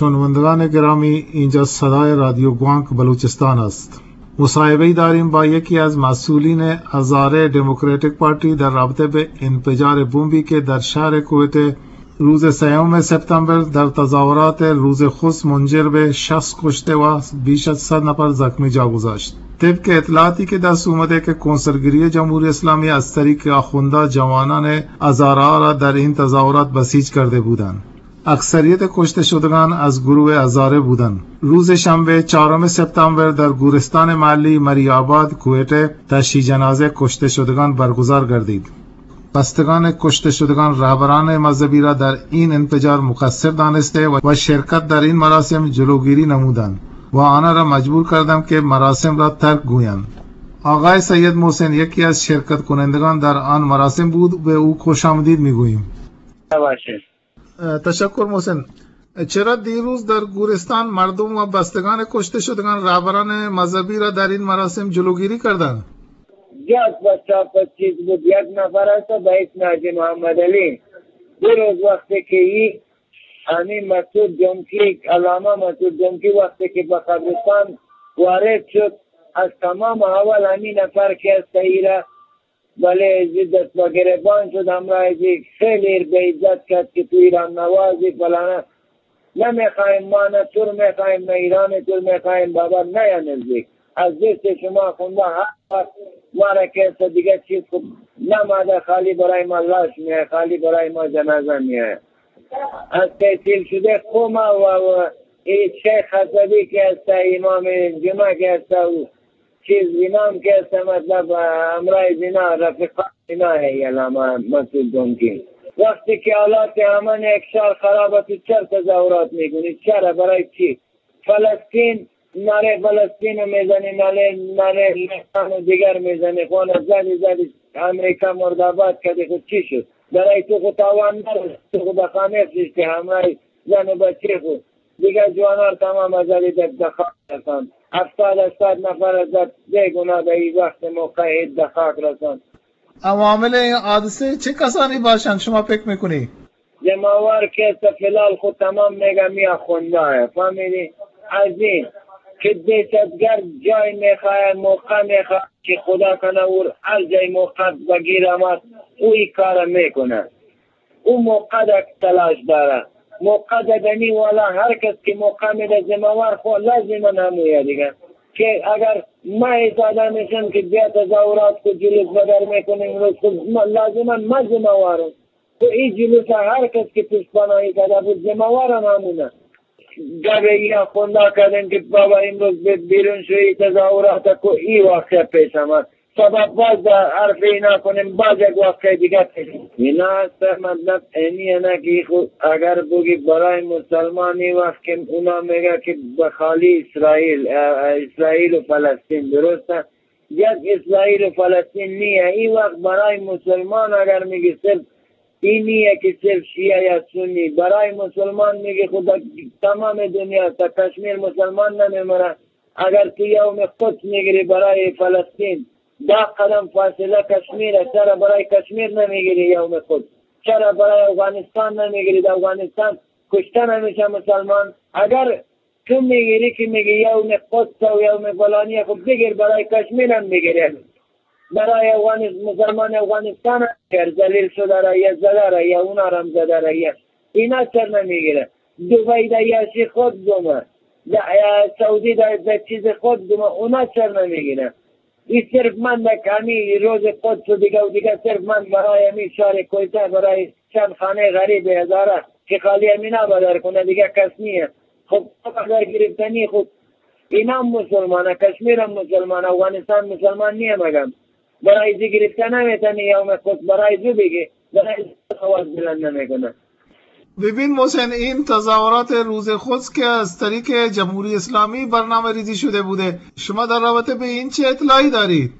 شنوندگان گرامی، اینجا صدای رادیو گوانک بلوچستان است. مصاحبه‌ای داریم با یکی از مسئولین هزاره دموکراتیک پارتی در رابطه به انفجار بمبی که در شهر کوئت روز سوم سپتامبر در تظاهرات روز خست منجر به شصت کشته و بیش از صد نفر زخمی جا گذاشت. طبق اطلاعاتی که دست اومده که کنسرگری جمهوری اسلامی از طریق آخوندا جوانان هزاره را در این تظاهرات بسیج کرده بودند. اکثریت کشته شدگان از گروه هزاره بودند. روز شنبه چهارم سپتامبر در گورستان محلی مری آباد کوئٹه تشییع جنازه کشته شدگان برگزار گردید. بستگان کشته شدگان رهبران مذهبی را در این انفجار مقصر دانسته و و شرکت در این مراسم جلوگیری نمودند و آنان را مجبور کردند که مراسم را ترک گویند. آقای سید محسن یکی از شرکت کنندگان در آن مراسم بود، به او خوش آمدید می‌گوییم. اه، تشکر محسن. چرا دیروز در گورستان مردم و بستگان کشته شدگان رهبران مذهبی را در این مراسم جلوگیری کردند؟ یک بچه پچیس بود، یک نفر است به اسم حاجی محمد علی. دیروز وقتی که ای همین مسعود جمکی، علامه مسعود جمکی وقتی که به قبرستان وارد شد، از تمام اول همین نفر که است ایره بلے ازی دست بہ گریبان شد، ہمراہ ازی خیلی ایر بے عزت کرد کہ تو ایران نوازی، فلانا. نمیخوایم ما، نه تو رو میخوایم، نه ایران تو رو میخوایم، بابا نیا نزدیک. از دست شما خونده هر وقت ما را کسی دیگه چیز کو، نه ماده خالی برای ما لاش میه، خالی برای ما جنازه میه. از تحصیل شده قوم و، و ای شیخ حسبی که است، امام جمعه که است، و چیز اینا هم که است، مطلب، همراه اینا، رفیقان اینا ہے علامہ مسعود دونکی. وقتی که حالات امن یک شهر خراب است، تو چرا تظاهرات می‌کنی؟ چرا؟ برای چی؟ فلسطین، نعره فلسطین رو می‌زنی، نعره، نعره لبنان و دیگر می‌زنی. خب زدی، زدی، امریکا مرداباد کردی، خب چی شد؟ برای تو خود تاوان نداره، تو خود خانه فشتی، همراه زن و بچه خود. دیگه جوانار تمام از آلی در دخاک رساند. هفتاد، هشتاد نفر از بے گناه به این وقت موقع هیچ دخاک رساند. عوامل این حادثه چه کسانی باشند شما فکر می‌کنی؟ ذمہ وار که است فلال خود تمام میگه می آخونده، فهمیدی؟ از این که دهشتگرد جای می‌خواه، موقع می‌خواه که خدا کنه او هر جای موقع بگیر آمد، او این کار می‌کنه. او موقع در تلاش داره. موقع در دنی والا هر کس که موقع می‌ده ذمہ وار خو لازماً همویه دیگه. که اگر ما ایستاده می‌شم که بیا تظاهرات کو جلوس بدر می‌کنیم، روز کو ما لازماً ما ذمہ وارم. تو این جلوس هر کس که پشت پناهی کرده بود ذمہ وار هم همونه. گپ ای آخوندا کردن که بابا امروز به بیرون شوی تظاهرات کو ای واقعه پیش آمد. سبب باز در حرف اینا کنیم، باز یک واقعه دیگه پیش. اینا است مطلب اینی نه که خود اگر بگی برای مسلمان این وقت که اونا میگه که به خالی اسرائیل، اه، اسرائیل و فلسطین درسته. یک اسرائیل و فلسطین نیه. این وقت برای مسلمان اگر میگی صرف این نیه که صرف شیعه یا سنی، برای مسلمان میگی خود تمام دنیا تا کشمیر مسلمان نمیمره. اگر تو یوم قدس می‌گیری برای فلسطین، ده قدم فاصله کشمیر است، چرا برای کشمیر نمی‌گیری یوم قدس؟ چرا برای افغانستان نمی‌گیری؟ در افغانستان کشته نمیشه مسلمان. اگر تو می‌گیری که میگی یوم قدس و یوم فلانی، خب بگیر برای کشمیر هم بگیر. برای افغانستان، مسلمان افغانستان هم بگیر، ذلیل شده را یا زده را یا اونا را هم زده را یا اینا چر نمی‌گیره؟ دبی دا یا شیخ خود گمه، دا یا سعودی دا، دا چیز خود گمه، اونا چر نمی‌گیره؟ این صرف من در کمی روز قدس و دیگه و دیگه صرف من برای همین شهر کویته، برای چند خانه غریب هزاره که خالی همینا بدر کنه، دیگه کس نیه. خب، بدر گرفتنی خود اینا هم مسلمانه، کشمیر هم مسلمانه، افغانستان مسلمان نیه مگم. برای زی گرفتن نمیتنی یوم قدس، برای زو بگی، برای زو آواز بلند نمیکنه. ببین محسن، این تظاهرات روز قدس که از طریق جمهوری اسلامی برنامه ریزی شده بوده، شما در رابطه به این چه اطلاعی دارید؟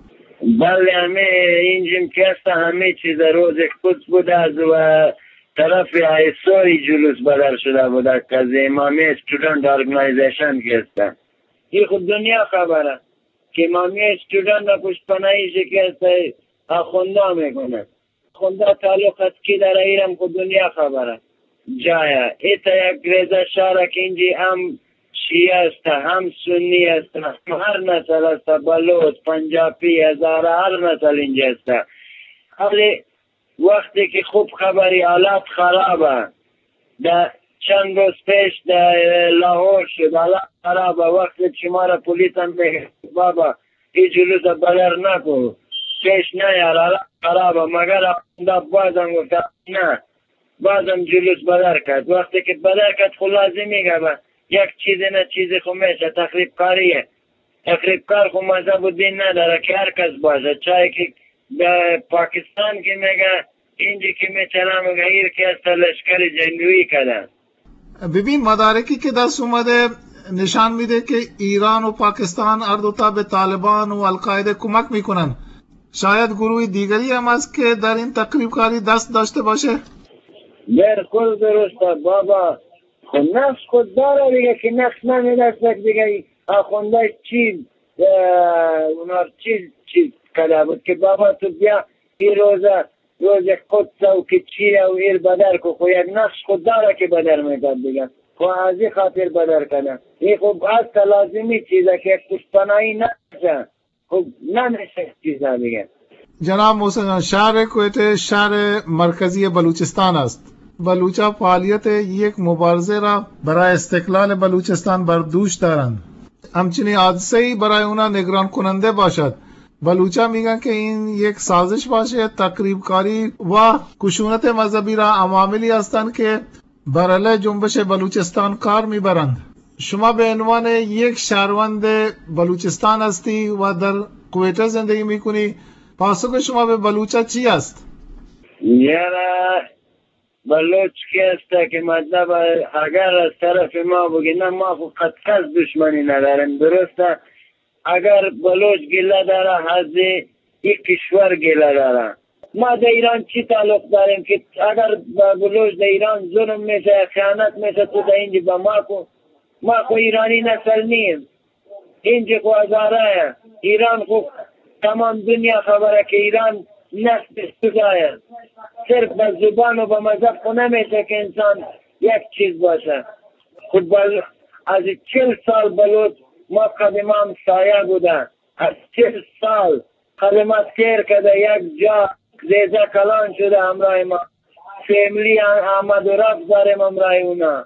بله، همه این جن که هست، همه چیز روز قدس بوده از و طرف آیسوری جلوس بدر شده بوده که از امامی اسٹوڈنٹ آرگنایزیشن که هستن. این خود دنیا خبره که امامی اسٹوڈنٹ پشت پناهی شکست آخوندا میکنه. خوندا تعلق است کی داره، ایرم خو دنیا خبره. جایا. اے تا یک ریزہ شہر ء کہ انجی ہم شیعہ است، ہم سنی است، ہم ہر نسل است، بلوچ، پنجابی، ہزارہ، ہر نسل انجی است. ولی وقتی کہ خوب خبری حالات خراب ء، دا چند روز پیش دا لاہور شد، حالات خراب ء، وقتی شمارا پولیس ہم میگہ بابا ای جلوس ء بدر نہ کو، پیش نہ یار، حالات خراب ء، مگر دا باز ہم گفتا نہ، باز ہم جلوس بدر کت. وقتی کہ بدر کت خو لازمی گبا یک چیزے نہ چیزے خو میشہ تخریب کاری ہے. تخریب کار خو مذہب و دین ندارہ کہ ہر کس باشہ، چاہے کہ دا پاکستان کی میگہ، انجی کی می چلا میگہ، ایر کہ است لشکر جنگوی کدہ. ببین، مدارکی که دست اومده نشان می‌ده که ایران و پاکستان هر دوتا به طالبان و القاعده کمک می‌کنن. شاید گروه دیگری هم است که در این تخریبکاری دست داشته باشه. بالکل درست است بابا. خو نقش خود داره دیگه، که نقش نمی‌دست دیگه. آخونده چیز، اه، اونا چیز، چیز کده بود که بابا تو بیا این روزه، روز قدس و که چیه و ایر بدر کو، خو یک نقش خود داره که بدر می‌کرد دیگه. خو از این خاطر بدر کنه. این خب از لازمی چیزه که یک پشتپناهی نشه. خب نمیشه چیزه دیگه. جناب محسن جان، شهر کوئٹه شهر مرکزی بلوچستان است. بلوچا فعالیت یک مبارزه را برای استقلال بلوچستان بر دوش دارند. همچنین حادثه‌ای برای اونا نگران کننده باشد. بلوچا می‌گن که این یک سازش باشه، تخریبکاری و خشونت مذهبی را عواملی هستند که بر علیه جنبش بلوچستان کار می‌برند. شما به عنوان یک شهروند بلوچستان هستی و در کوئٹه زندگی می‌کنی، پاسخ شما به بلوچا چی است؟ یارا بلوچ که است که مطلب اگر از طرف ما بگی، نه، ما خو قد کس دشمنی نداریم، درسته؟ اگر بلوچ گله داره، از این کشور گله داره. ما در ایران چی تعلق داریم که اگر به بلوچ در ایران ظلم می‌شه، خیانت می‌شه، تو در اینجا به ما کو؟ ما خو ایرانی نسل نیم. اینجا خو هزاره ایران خو تمام دنیا خبره که ایران نسل خدایه. صرف به زبان و به مذهب خو نمیشه که انسان یک چیز باشه. خب بل-، از چل سال بلوچ ما قدم هم سایه بوده. از چل سال قدمت کیر کده یک جا ریزه کلان شده همراه ما. فیملی آمد و رفت داریم همراه اونا.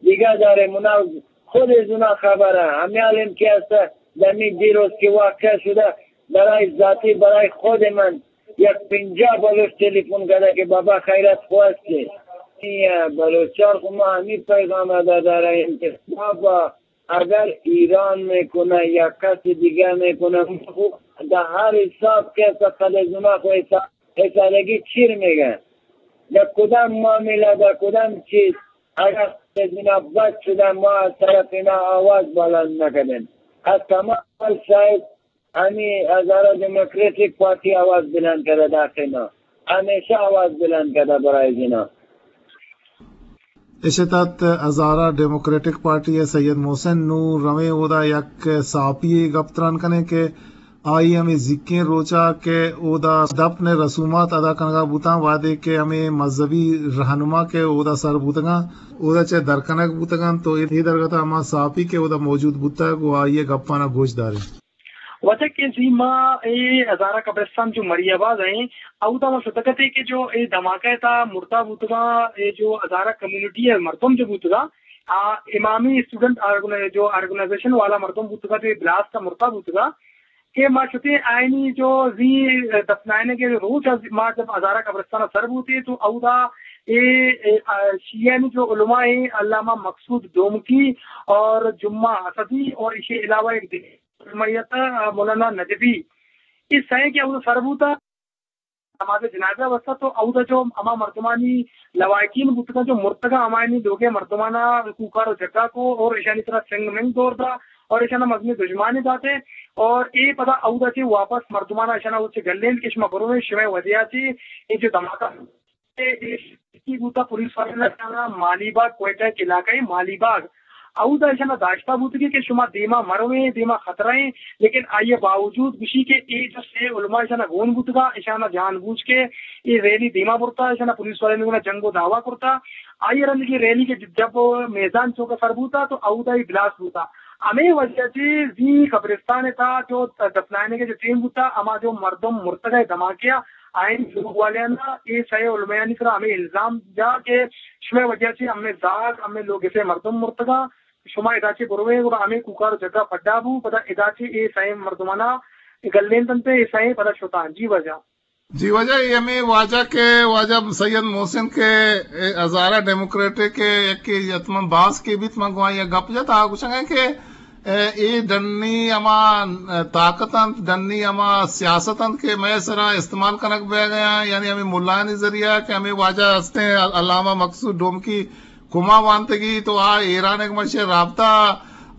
دیگه داریم اونا خود از اونا خبره. همی حالیم که است دمی دیروز که واقع شده برای ذاتی برای خود من یک پنجاه بلوچ تلفن کده که بابا خیرت خو است که این بلوچار خو ما همی پیغام داده راییم که بابا اگر ایران می‌کنه یا کس دیگه می‌کنه، خو در هر حساب که است خلزونه خو حساب، حسابگی چیر میگه. در کدام معامله، در کدام چیز، اگر خلزونه بد شده، ما از طرف اینا آواز بلند نکردیم. از تمام شاید ہمے ہزارہ ڈیموکریٹک پارٹی آواز بلند کدہ داخل نا، ہمیشہ آواز بلند کدہ برائے جنا. اش ات ہزارہ ڈیموکریٹک پارٹی ء سید محسن نوں رویں اودا یک صحافی ء گپ تران کنیں کہ آئی ہمے زیکیں روچا کہ اودا دفن ء رسومات ادا کنگا بوتاں، وہدے کہ ہمے مذہبی رہنما کہ اودا سر بوتگاں، اودا چہ در کنگ بوتگاں، تو اے درگت ء ہما صحافی کہ اودا موجود بوتگ و آئی ء گپاں گوش داریں. وجہ کہ زی ما اے ہزارہ قبرستان جو مری آباد ہیں، اودا ما شتگتے کہ جو اے دھماکہ تا مرتا بوتگا، اے جو ہزارہ کمیونٹی ہے مردم جو بوتگا، آ، امامی اسٹوڈنٹ آرگنا-، جو آرگنائزیشن والا مردم بوتگا، جو اے بلاسٹ تا مرتا بوتگا، کہ ما شتے آئینی جو زی دفنائنے کے روچ از ما جب ہزارہ قبرستان سر بوتے تو اودا اے، اے، آ، شیعہ نی جو علماء ہیں، علامہ مقصود ڈومکی اور جمعہ اسدی اور اسے علاوہ ایک دگہ میت، آ، مولانا نجفی، اے سئے کہ اودا سر بوتا، نماز جنازہ واسطہ تو اودا جو ہما مردمانی لواحقین بوتگا جو مرتگا ہمایانی لوگے مردمانا کوکار و جگا کو اور اشانی طرح سنگ منگ دور دا اور اشانا مزنی دژمانی داتے اور اے پدا اودا چہ واپس مردمانا اشانا اوچے گلینت کہ شما برو شمئے وجہ چہ اے جو دھماکہ کی بوتا پولیس والے نے کہا مالی باغ، کوئٹہ کے علاقہ ہے مالی باغ، اودا ایشانا داشتا بوتگی کہ شما دیما مرویں، دیما خطرہ ہیں، لیکن آئی باوجود گوشی کہ اے جو سے علماء ایشانا گون بوتگا، ایشانا جان بوجھ کے اے ریلی دیما برتا، ایشانا پولیس والے نے جنگ و دعویٰ کرتا، آئی رند کی ریلی کہ جب میزان چوک سر بوتا تو اودا ہی بلاسٹ بوتا۔ ہمے وجہ چی زی قبرستان تا جو دفنائنگ جو ٹیم بوتا، ہما جو مردم مرتگا دھماکہ آئین لوگ والیانا اے سئے علمایانی سرا ہمے الزام جا کہ شمئے وجہ چی ہمے زاگ، ہمے لوگ سے مردم مرتگا، شما ادا چی بروے گڑا ہمے کوکار جگہ پڈا بو، پدا ادا چی اے سئے مردمانا گلین تنتے، اے سئے پدا شتان۔ جی واجہ۔ جی واجہ، اے ہمے واجہ کہ واجہ سید محسن کہ اے ہزارہ ڈیموکریٹک کہ یکے یتمن باز کے بیت، من گوائیں یک گپ جت، آ گوشنگا کہ اے، اے ڈنی ہما طاقت انت، ڈنی ہما سیاست انت کہ مئے سرا استعمال کنگ بیگ ء، یعنی ہمے ملایانی ذریعہ کہ ہمے واجہ ہستیں علامہ مقصود ڈومکی کما وانتگی تو آ ایران ء گوما شے رابطہ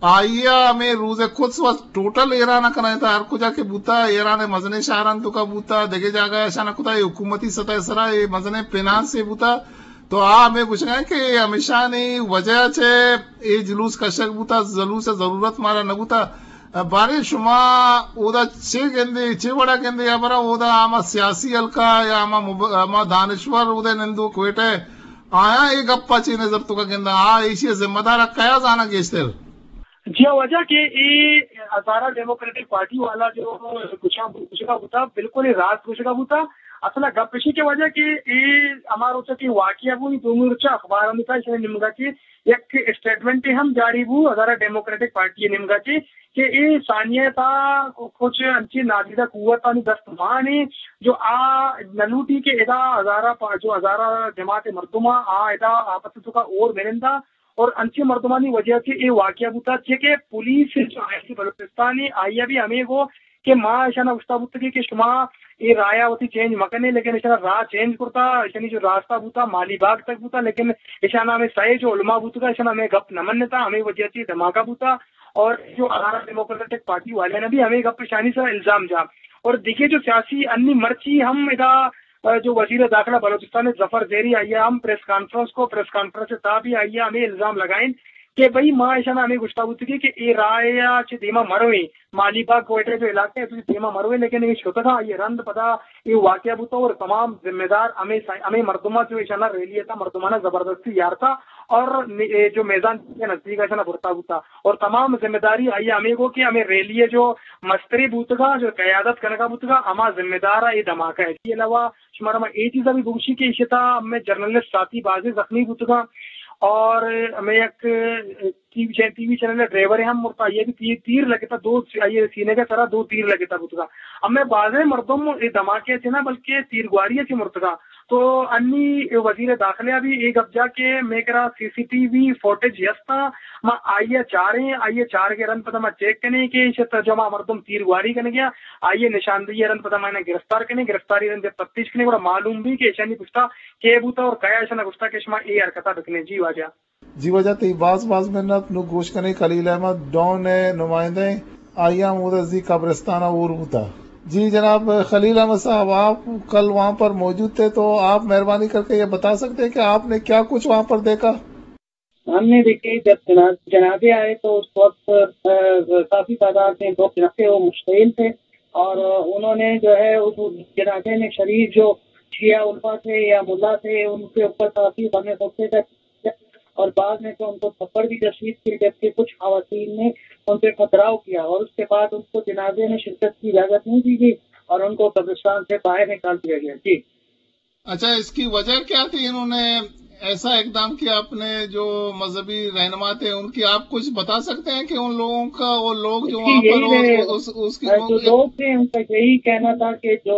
آئی ء ہمے روز ء کت وت ٹوٹل ایران ء کنائینتا، ہر کجا کہ بوتا، ایران ء مزنیں شہران توکا بوتا، دگہ جاگہ اشان کتا، اے حکومتی سطح سرا اے مزنیں فنانس ء بوتا۔ تو آ ہمے گوشگا کہ اے ہمیشانی وجہ چہ اے جلوس کشگ بوتا، جلوس ء ضرورت مارا نہ بوتا۔ باریں شما اودا چے گندے، چے وڑا گندے، یا برا اودا ہما سیاسی حلقہ یا ہما مب-، ہما دانشور اودا نندو کوئٹہ آیاں اے گپ ء چے نظر توکا گنداں؟ آ ایشی ء ذمہ دار ء کیا زاناں گیشتر؟ جی ہاں، واجہ کہ اے ہزارہ ڈیموکریٹک پارٹی والا جو گشا-، گشگا بوتا، بالکل اے راست گشگا بوتا۔ اصل گپ اشی کہ واجہ کہ اے ہما روچا کہ واقعہ بو، دومی روچا اخبار ہم تھا، اس نے نمگا کہ یک اسٹیٹمنٹ ہم جاری بو ہزارہ ڈیموکریٹک پارٹی نمگا کہ، کہ اے ثانیہ تا کچھ انچی نادیدہ قوت آنی دست مانے جو آ نلوٹی کہ ادا ہزارہ پا-، جو ہزارہ جماعت مردم آ، آ ادا آپس توکا اور بنندا اور انچیں مردمانی وجہ سے اے واقعہ بوتا، چہ کہ پولیس جو آئی بلوچستان ء آئی ء بھی ہمے گو کہ ما اشانا گشتا بوتگی کہ شما اے رایا وتی چینج مکنے، لیکن اشانا راہ چینج کرتا، اشانی جو راستہ بوتا مالی باغ تک بوتا، لیکن اشانا ہمیں سائے جو علماء بوتگا، اشانا ہمیں گپ نہ منتا، ہمیں وجہ سے دھماکہ بوتا۔ اور جو ہزارہ ڈیموکریٹک پارٹی والے نے بھی ہمیں گپ اشانی سرا الزام جا۔ اور دیکھیے جو سیاسی انی مرچی ہم ادا جو وزیر داخلہ بلوچستان ظفر زہری آئی ء ہم پریس کانفرنس کو، پریس کانفرنس ء تہا بھی آئی ء ہمے الزام لگائیں کہ بھئی ما ایشاں ہمے گشتا بوتگی کہ اے راہ ء چہ دیما مرویں، مالی باغ کوئٹہ جو علاقہ ہے تو دیما مرویں، لیکن اے شتگاں آئی ء رند پدا اے واقعہ بوتا اور تمام ذمہ دار ہمے سا-، ہمے مردماں جو ایشاں ریلی ء تھا مردماناں زبردستی یارتا اور ن-، اے جو میزان کے نزدیک ایشاں برتا بوتا اور تمام ذمہ داری آئی ء ہمے گو کہ ہمے ریلی ء جو مستری بوتگا، جو قیادت کنگا بوتگا، ہما ذمہ دار ء اے دھماکہ ہے۔ اس کے علاوہ شمارا ما اے چیزا بھی بگوشی کہ ایشی تھا ہمیں جرنلسٹ ساتھی بازیں زخمی بوتگاں اور ہمیں یک ٹی وی چین-، ٹی وی چینل ڈرائیور ہم مرتا، یہ بھی تیر، تیر لگتا، دو سی-، یہ سینے کے سرا دو تیر لگتا بوتگا۔ ہمیں بازیں مردم اے دھماکے سے نہ بلکہ تیرگواری سے مرتگا۔ تو انی وزیر داخلہ بھی اے گپ جا کہ میں کرا سی سی ٹی وی فوٹیج یستا، ما آئیے چاریں، آئیے چار کے رند پدا ما چیک کنے کہ ایشی تھا جو ہما مردم تیرگواری کنے گیا، آئیے نشاندہی رند پدا ما انہیں گرفتار کنے، گرفتاری رند جب تفتیش کنے گڑا معلوم بھی کہ ایشانی پشتا کے بوتا اور کیا ایشانا گشتا کہ شما اے حرکتا بکنے۔ جی واجہ۔ جی واجہ، تئی باز باز منت۔ نوں گوش کنیں خلیل احمد ڈون ء نمائندہ ایں، آئی ہم اودا زی قبرستان ء اور بوتا۔ جی جناب خلیل احمد صاحب، آپ کل وہاں پر موجود تھے، تو آپ مہربانی کر کے یہ بتا سکتے ہیں کہ آپ نے کیا کچھ وہاں پر دیکھا؟ ہم نے دیکھے جب جنا-، جنازے آئے تو اس وقت، آ، کافی تعداد میں لوگ جنازے وہ مشتعل تھے اور، آ، انہوں نے جو ہے اس جنازے میں شریک جو شیعہ علماء تھے یا ملا تھے ان کے اوپر کافی غم غصے کا اور بعض نے تو ان کو تھپڑ بھی تشدید کیے، جبکہ کچھ خواتین نے ان پہ پتھراؤ کیا اور اس کے بعد ان کو جنازے میں شرکت کی اجازت نہیں دی گئی اور ان کو قبرستان سے باہر نکال دیا گیا۔ جی۔ اچھا، اس کی وجہ کیا تھی؟ انہوں نے ایسا اقدام کیا، اپنے جو مذہبی رہنما تھے ان کی، آپ کچھ بتا سکتے ہیں کہ ان لوگوں کا، وہ لوگ جو اس کی وہاں پر یہی رہے، اس، اس، اس کی جو لوگ تھے ان کا یہی کہنا تھا کہ جو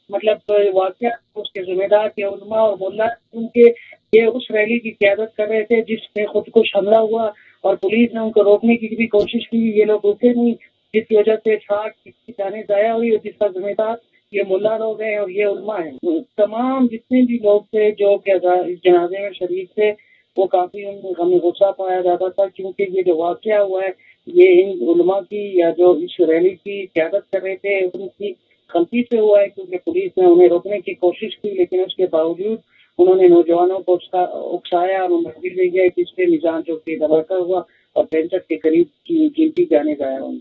مطلب واقعہ اس کے ذمہ دار تھے علماء اور ملا، کیونکہ یہ اس ریلی کی قیادت کر رہے تھے جس میں خود کش حملہ ہوا اور پولیس نے ان کو روکنے کی بھی کوشش کی، یہ لوگ رکے نہیں، جس کی وجہ سے اتفاق کی جانیں ضائع ہوئی اور جس کا ذمہ دار یہ ملا لوگ ہیں اور یہ علماء ہیں۔ تمام جتنے بھی لوگ تھے جو کہ اس جنازے میں شریک تھے، وہ کافی ان میں غم غصہ پایا جاتا تھا، کیونکہ یہ جو واقعہ ہوا ہے، یہ ان علماء کی یا جو اس ریلی کی قیادت کر رہے تھے، ان کی غلطی سے ہوا ہے، کیونکہ پولیس نے انہیں روکنے کی کوشش کی، لیکن اس کے باوجود انہوں نے نوجوانوں کو اکسا-، اکسایا اور انہیں گرنے دیا، جس سے میزان چوک پہ دھماکہ ہوا اور پینسٹھ کے قریب کی قیمتی جانیں ضائع ہوئیں۔